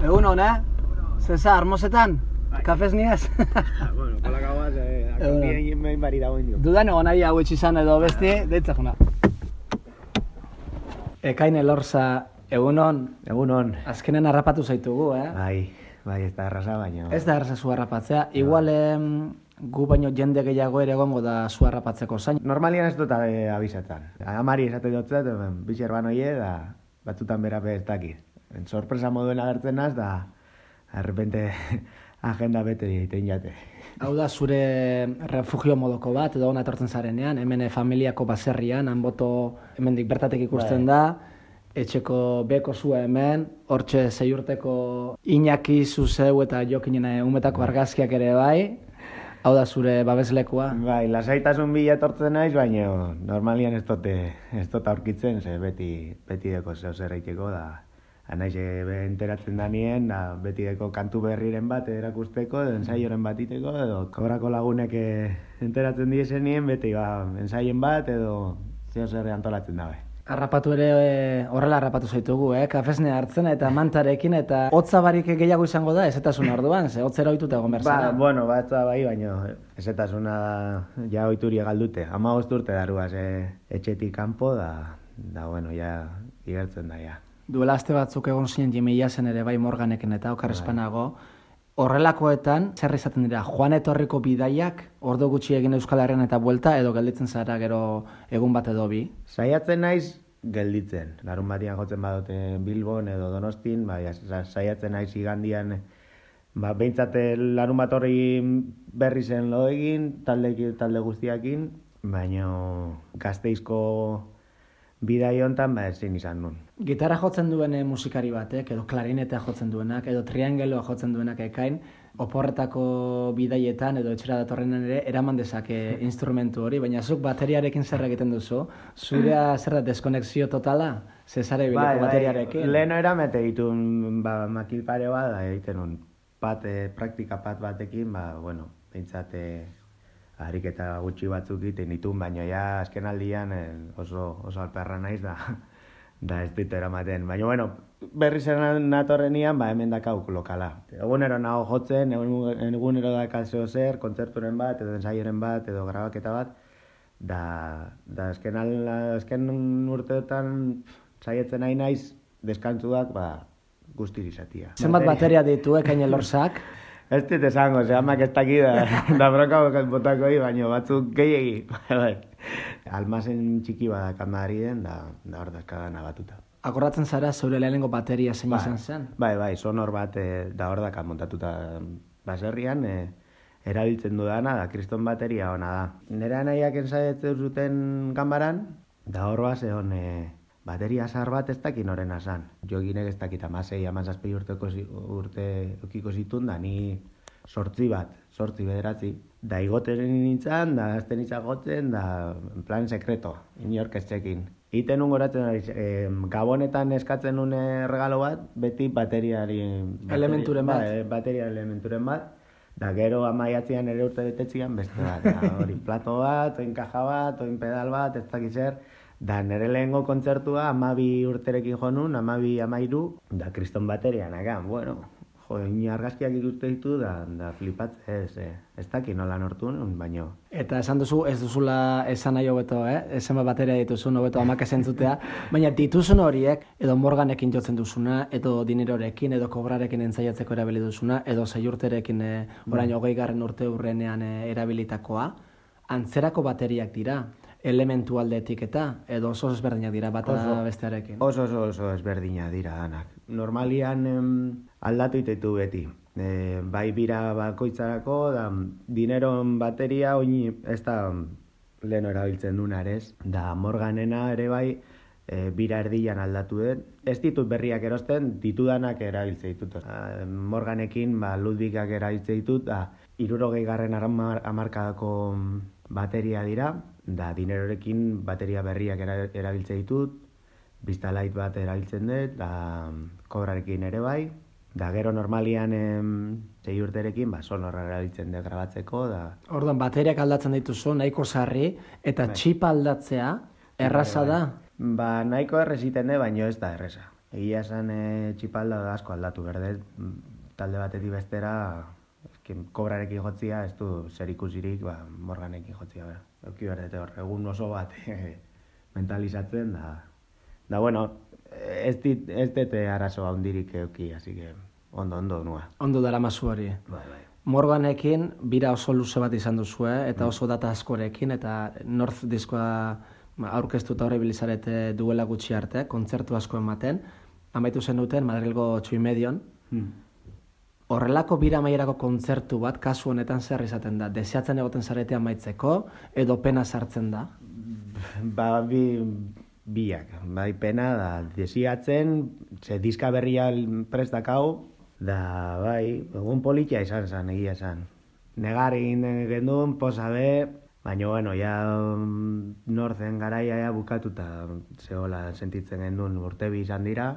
Egun hona, Cesar, mozetan? Kafez niaz? Bueno, kolakagoaz, akapien behin bari dago indio. Dudan egon nahi hau etxizan edo besti, deitzak juna. Ekain Elorza, egunon. Egunon. Azkenen harrapatu zaitugu, Bai, ez da erraza, baina... Ez da erraza zu harrapatzea. Igual gu baino jende gehiago ere egongo da zu harrapatzeko zain. Normalian ez dut abizatzen. Amari esate dutzet, bitxer banoie, da batzutan berape ez dakit. Sorpresa moduen agertzen naz, da arrepente agenda bete egiten jate. Hau da zure refugio modoko bat, edo hona etortzen zarenean, hemen familiako baserrian, hanboto hemendik bertatek ikusten da, etxeko beko zua hemen, hortxe 6 urteko Iñaki, Zuzeu eta Jokinen umetako argazkiak ere bai, hau da zure babeslekua. Bai, lasaitasun bila etortzen naiz, baina normalian ez dut aurkitzen, ze beti deko zeu zerreiteko da. Anaiz enteratzen da nien, beti deko kantu berriren bat erakusteko, edo ensaioren bat iteko, edo kobrako lagunek enteratzen diezen nien, beti ensaien bat, edo zeo zer antolatzen dabe. Harrapatu ere horrela harrapatu zaitugu, kafesnea hartzen eta mantarekin, eta hotza barik gehiago izango da, ezetasun orduan, ze hotzera ohituta egon behar zara. Bueno, batza bai, baina ezetasuna ja ohituria galdute. 15 urte daruaz etxetik kanpo, da bueno, ja igertzen da, ja. Duela aste batzuk egon zinen Jimmy zen ere bai Morganekin eta okarrespanago. Horrelakoetan, zer izaten dira, joan etorriko bidaiak, ordu gutxi egin Euskal Herrian eta buelta, edo gelditzen zara gero egun bat edo bi? Saiatzen naiz gelditzen. Larun batian jotzen badote Bilbon edo Donostin, saiatzen naiz igandian, behintzat larun bat horri berri zen lo egin, talde guztiakin, baina Gasteizko bidai hontan ezin izan nun. Gitarra jotzen duen musikari batek, edo klarinetea jotzen duenak, edo triangeloa jotzen duenak ekain, oporretako bidaietan edo etxera datorrenan ere eraman dezake instrumentu hori, baina zuk bateriarekin zer egiten duzu? Zurea zer da deskonexio totala? Zezare bileko bateriarekin? Leheno eramete ditun makil pare bat, egiten nun praktika batekin, bueno, behintzat ariketa gutxi batzuk egiten ditun, baina ja azken aldian oso alperra naiz da ez dit eramaten. Baina, bueno, berri zen natorrenian, hemen dakauk lokala. Egunero nago jotzen, egunero dakazio zer, kontzerturen bat, edo ensaioren bat, edo grabaketa bat, da azken urteotan saietzen nahi naiz, deskantzuak, guztiz izatia. Zenbat bateria ditu, Ekain Elorzak? Ez dit esango, amak ez daki da broka botako baina batzuk gehiegi. Almazen txiki badakan Madriden, da hor dazkadan abatuta. Akordatzen zara zeure lehenengo bateria zein izan zen? Bai, sonor bat da hor dakan montatuta baserrian, erabiltzen dudana, da kriston bateria ona da. Nera nahiak ensaiatzen zuten ganbaran, da hor egon bateria zahar bat ez dakin noren asan. Joginek ez dakit 16-17 urte okiko zitun, da ni 8 bederatzi. Da igoten nintzen, da azten nintzen gotzen, da plan sekreto, inork ez txekin. Iten ungoratzen, gabonetan eskatzen nuen regalo bat, beti elementuren bat. Bateria elementuren bat. Da gero amaiatzean ere urte betetzian beste bat. Hori plato bat, oin kaja bat, oin pedal bat, ez dakiz zer. Da nire lehengo kontzertua 12 urterekin jo nun, 12-13, da kriston baterian, bueno, argazkiak ikuste ditu, da flipatzez, ez dakit nola nortu nun, baino. Eta esan duzu, ez duzula esan nahi hobeto, esan bateria dituzun hobeto amak esentzutea, baina dituzun horiek, edo Morganekin jotzen duzuna, edo dinerorekin, edo kobrarekin entzaiatzeko erabili duzuna, edo 6 urterekin orain 20. urte urrenean erabilitakoa, antzerako bateriak dira. Elementu aldetik edo oso ezberdinak dira bata bestearekin? Oso ezberdinak dira danak. Normalian aldatu itetu beti. Bai bira bakoitzarako, dineron bateria oin ez da leheno erabiltzen dunarez. Da Morganena ere bai bira erdian aldatu dut. Ez ditut berriak erosten, ditudanak erabiltze ditut. Morganekin Ludwigak erabiltze ditut, 60. hamarkadako bateria dira, da dinerorekin bateria berriak erabiltze ditut, Vistalite bat erabiltzen dut, da kobrarekin ere bai, da gero normalian 6 urterekin sonorra erabiltzen dut grabatzeko. Orduan, bateriak aldatzen dituzu, nahiko sarri, eta txipa aldatzea erraza da? Nahiko erreziten dut, baina ez da erreza. Egia esan txipalda asko aldatu berde, talde batetik bestera, kobrarekin jotzia, ez du zer ikusirik, Morganekin jotzia, euki berdete hor, egun oso bat mentalizatzen, da bueno, ez dute arazo handirik euki, así que ondo nua. Ondo dara mazu hori. Bai. Morganekin bira oso luze bat izan duzu, eta oso data askorekin, eta North diskoa aurkeztuta horre bilizarete duela gutxi arte, kontzertu asko ematen, amaitu zen duten Madrilgo Txuimedion. Horrelako bira amaierako kontzertu bat, kasu honetan zer izaten da? Deseatzen egoten zarete amaitzeko, edo pena sartzen da? Biak, bai pena da, desiatzen, ze diska berria prestakau, da bai, egun politia izan zen, egia zen. Negar egin gendun, posa be, baina, bueno, ja Northen garaia ja bukatuta zehola sentitzen gendun urtebi izan dira,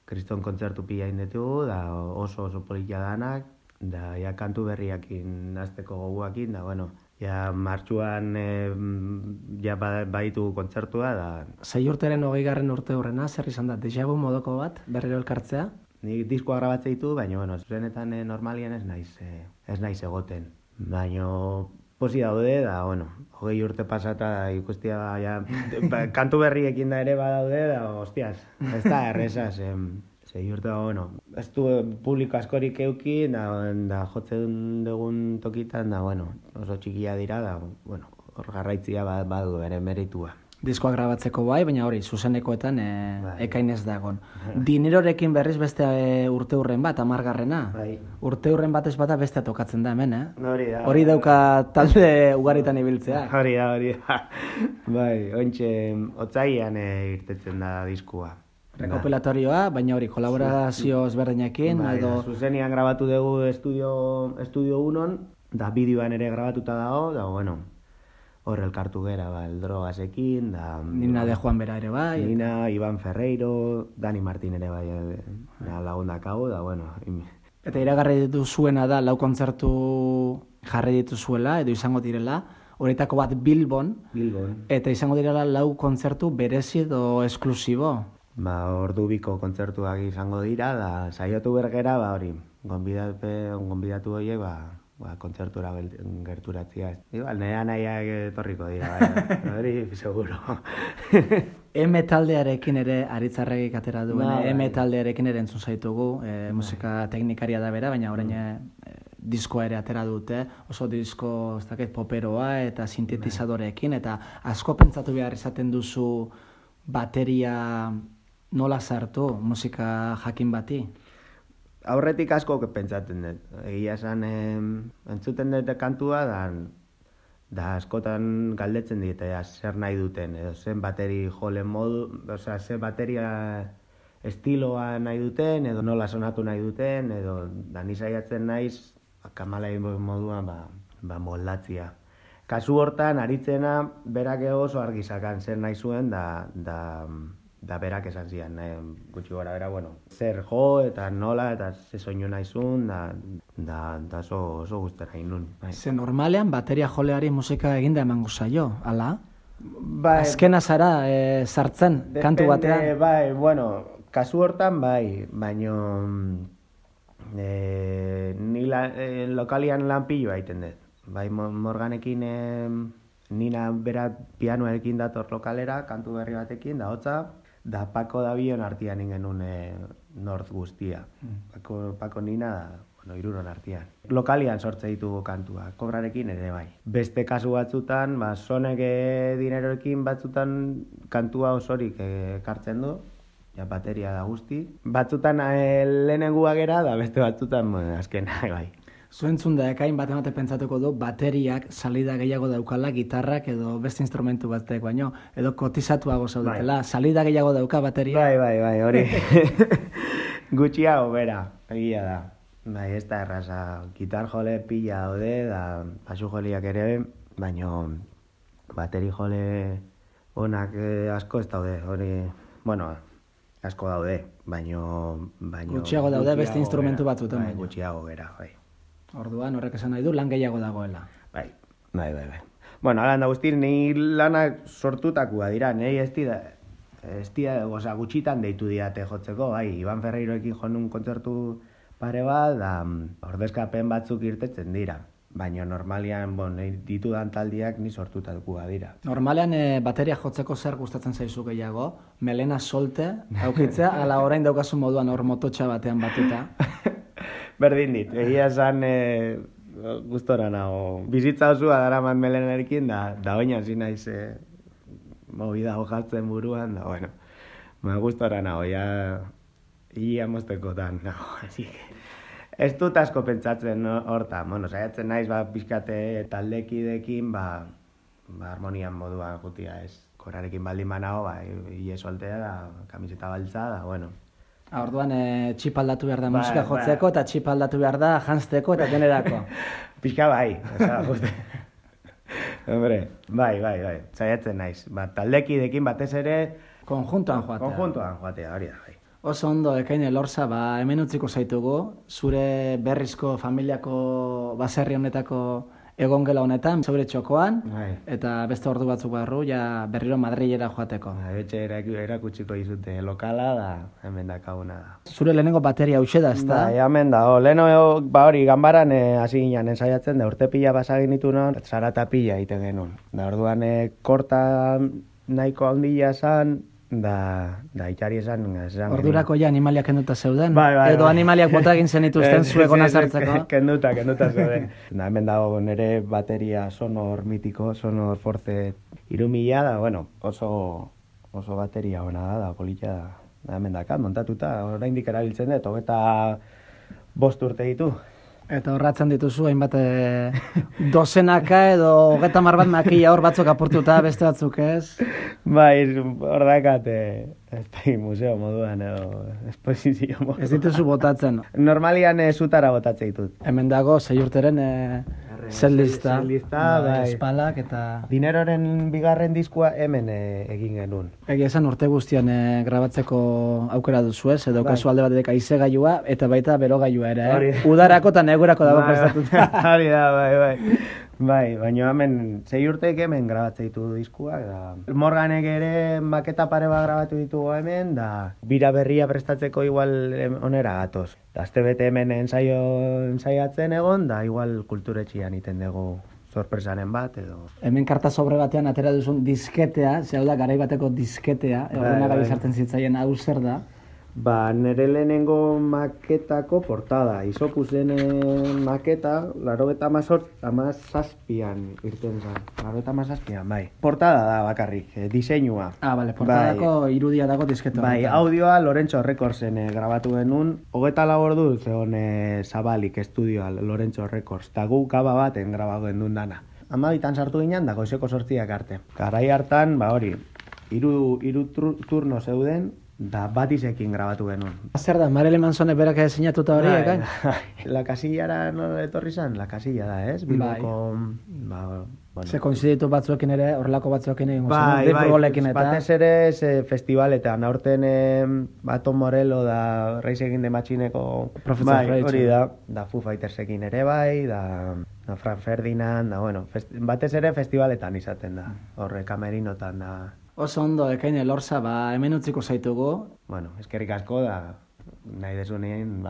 kriston kontzertu pila indetugu, da oso politia danak, da ja kantu berriakin azteko goguakin, da bueno, ja martxuan ja baitu kontzertua, da... 6 urteren 20. urte hurrena, zer izan da, deja vu modoko bat, berriro elkartzea? Nik diskoa grabatze ditu, baina, bueno, zurenetan normalien ez naiz egoten. Baina, posi daude, da, bueno, 20 urte pasata ikustia, ja, kantu berriekin da ere badaude, da, hostias, ez da erresa, zei urte, bueno, ez du publiko askorik euki, da jotzen dugun tokitan, da, bueno, oso txikia dira, da, bueno, hor garraitzia badu ere meritua. Diskoa grabatzeko bai, baina hori, zuzenekoetan ekain ez dagon. Dinerorekin berriz beste urte hurren bat, 10. Bai. Urte hurren bat ez bata bestea tokatzen da hemen, Hori dauka talde ugaritan ibiltzea. Hori da. Bai, ointxe, otzaian irtetzen da diskua. Rekopilatorioa, baina hori, kolaborazio ezberdinekin, edo... Zuzenian grabatu dugu estudio 1, da bideoan ere grabatuta dago, da bueno, hor elkartu gera, el Drogasekin, da... Nina de Juan Bera ere bai. Nina, Iban Ferreiro, Dani Martin ere bai, lagundak hau, da bueno... Eta iragarri dituzuena da, 4 kontzertu jarri dituzuela, edo izango direla, horietako bat Bilbon, eta izango direla 4 kontzertu berezi edo esklusibo. Ordu biko kontzertuak izango dira, da saiatu bergera, hori, gonbidatu horiek, kontzertura gerturatzia. Igual, nera nahiak etorriko dira, hori, seguro. Taldearekin ere Aritzarregik atera duen, taldearekin ere entzun zaitugu, musika teknikaria da bera, baina orain diskoa ere atera dute, oso disko, ez dakit, poperoa eta sintetizadoreekin, eta asko pentsatu behar izaten duzu bateria nola sartu musika jakin bati? Aurretik asko pentsatzen dut. Egia esan entzuten dut kantua, da askotan galdetzen dit, zer nahi duten, edo zen bateri jolen modu, osea, zer bateria estiloa nahi duten, edo nola sonatu nahi duten, edo da nisaiatzen naiz, kamalai moduan moldatzia. Kasu hortan, aritzena, berak oso argi zakan zer nahi zuen, da berak esan zian, gutxi gora bera, bueno, zer jo eta nola eta ze soinu nahi zuen, da oso guztera inun. Ze normalean bateria joleari musika eginda emango zaio, ala? Azkena zara sartzen kantu batean? Bai, bueno, kasu hortan bai, baino ni lokalian lan pilloa egiten dut. Bai, Morganekin Nina bera pianoekin dator lokalera, kantu berri batekin, da hotza, da Pako Dabion artian ingenun North guztia. Pako Nina da, iruron artian. Lokalian sortze ditugu kantua, kobrarekin ere bai. Beste kasu batzutan, sonek dineroekin batzutan kantua osorik ekartzen du, ja bateria da guzti. Batzutan lehenengua gera, da beste batzutan azkena bai. Zuentzun da ekain bat emate pentsatuko du bateriak salida gehiago daukala, gitarrak edo beste instrumentu batek baino, edo kotizatuago zaudetela, salida gehiago dauka bateria? Bai, hori. Gutxiago bera, egia da. Bai, ez da erraza, gitar jole pila daude, da basu joliak ere, baino bateri jole onak asko ez daude, hori, bueno, asko daude, baino... Gutxiago daude beste instrumentu batzutan baino. Gutxiago bera, bai. Orduan, horrek esan nahi du, lan gehiago dagoela. Bai. Bueno, halan da guzti, nahi lanak sortutakua dira, nahi ez dira, gutxitan deitu diate jotzeko, bai, Iban Ferreiroekin jo nun kontzertu pare bat, da ordezkapen batzuk irtetzen dira. Baina normalian, ditudan taldiak ni sortuta dukua dira. Normalean bateria jotzeko zer gustatzen zaizu gehiago? Melena solte, aukitzea, ala orain daukazu moduan hor mototxa batean batuta? Berdin dit, egia esan gustora nago. Bizitza osua daraman melenarekin, da oin hasi naiz movida jartzen buruan, da bueno, gustora nago, ia moztekotan nago, así que... Ez dut asko pentsatzen horta, saiatzen naiz pixkate taldekidekin, harmonian moduan jutia ez. Korarekin baldin banago, hile soltea da, kamiseta baltza da, bueno. Orduan txip aldatu behar da musika jotzeko eta txip aldatu behar da janzteko eta denerako. Pixka bai, hombre, bai, saiatzen naiz. Taldekidekin batez ere... Konjuntoan joatea, hori da, bai. Oso ondo, Ekain Elorza, hemen utziko zaitugu, zure berrizko familiako baserri honetako egongela honetan, zeure txokoan, eta beste ordu batzuk barru, berriro Madrilera joateko. Betxe erakutsiko izute lokala, da hemen dakaguna da. Zure lehenengo bateria hause da, ez da? Hemen da, lehenengo, hori, ganbaran hasi ginen ensaiatzen, da urte pila basagin ditu non, zarata pila egiten genuen. Da orduan korta nahiko handia zan, da itxari esan... Ordurako ja animaliak kenduta zeuden? Edo animaliak bota egin zenituzten zuegona sartzeko? Kenduta zeuden. Hemen dago nire bateria sonor mitiko, sonor force 3000 da, bueno, oso bateria ona da, polita da. Hemen dakat, montatuta, oraindik erabiltzen dut, 25 urte ditu. Eta horratzen dituzu, hainbat dozenaka edo 30 bat makila hor batzuk apurtuta, beste batzuk ez? Bai, hor dakat, museo moduan edo esposizio moduan. Ez dituzu botatzen? Normalian zutara botatzen ditut. Hemen dago, 6 urteren setlista, espalak eta... Dineroren bigarren diskua hemen egin genuen. Egia esan urte guztian grabatzeko aukera duzu ez, edo kasu alde batetik aizegailua eta baita berogailua ere, Udarako eta negurako dago prestatuta. Hori da, bai. Bai, baina hemen 6 urteek hemen grabatzen ditu diskuak, da... Morganek ere maketa pare bat grabatu ditugu hemen, da... Bira berria prestatzeko igual onera gatoz. Da, azte bete hemen ensaiatzen egon, da igual kulturetxian iten dugu sorpresanen bat, edo... Hemen karta sobre batean atera duzun disketea, zehau da garai bateko disketea, egunak abizartzen zitzaien hau zer da? Nire lehenengo maketako portada, Isopusen maketa, 87an irten zen. 87an, bai. Portada da bakarrik, diseinua. Bale, portadako irudia dago disketo. Bai, audioa Lorentxo Recordsen grabatu genuen. 24 ordu zegoen Zabalik estudioa Lorentxo Records. Eta gu gaba baten grabatu genuen dana. 12an sartu ginen, da goizeko 8ak arte. Garai hartan, hori, hiru turno zeuden, da Batisekin grabatu genuen. Zer da, Marilyn Mansonek berak sinatuta hori, ekain? La Casillara no etorri zan, La Casilla da, ez? Bilboko... Se koinziditu batzuekin ere, horrelako batzuekin egin gozien, de futbolekin eta... Batez ere festivaletan, aurten Baton Morello da Reis egin de Matxineko... Professor Reich. Hori da Foo Fightersekin ere bai, da Frank Ferdinand, da bueno, batez ere festivaletan izaten da, horre kamerinotan da... Oso ondo, Ekain Elorza, hemen utziko zaitugu. Bueno, eskerrik asko da, nahi desunien,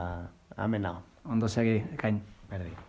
hemen nago. Ondo segi, Ekain. Berdi.